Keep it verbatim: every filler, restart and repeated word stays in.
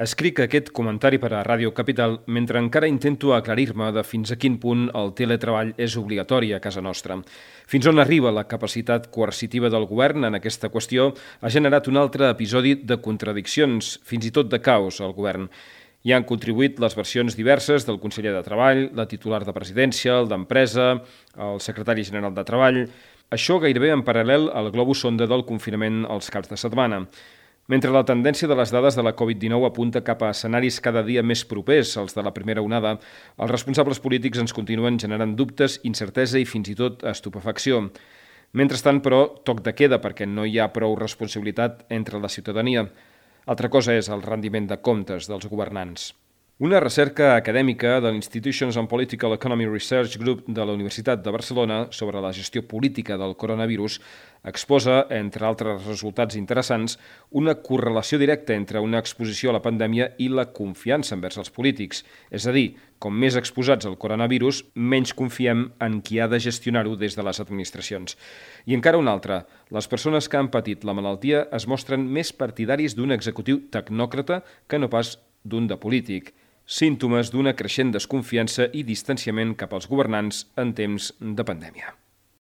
Escric aquest comentari per a Ràdio Capital mentre encara intento aclarir-me de fins a quin punt el teletreball és obligatori a casa nostra. Fins on arriba la capacitat coercitiva del govern en aquesta qüestió ha generat un altre episodi de contradiccions, fins i tot de caos al govern. Hi han contribuït les versions diverses del conseller de Treball, la titular de Presidència, el d'Empresa, el secretari general de Treball. Això gairebé en paral·lel al globus sonda del confinament als caps de setmana. Mentre la tendència de les dades de la covid dinou apunta cap a escenaris cada dia més propers als de la primera onada, els responsables polítics ens continuen generant dubtes, incertesa i fins i tot estupefacció. Mentrestant, però, toc de queda perquè no hi ha prou responsabilitat entre la ciutadania. Altra cosa és el rendiment de comptes dels governants. Una recerca acadèmica de l'Institutions on Political Economy Research Group de la Universitat de Barcelona sobre la gestió política del coronavirus exposa, entre altres resultats interessants, una correlació directa entre una exposició a la pandèmia i la confiança envers els polítics. És a dir, com més exposats al coronavirus, menys confiem en qui ha de gestionar-ho des de les administracions. I encara una altra, les persones que han patit la malaltia es mostren més partidaris d'un executiu tecnòcrata que no pas d'un de polític. Símptomes d'una creixent desconfiança i distanciament cap als governants en temps de pandèmia.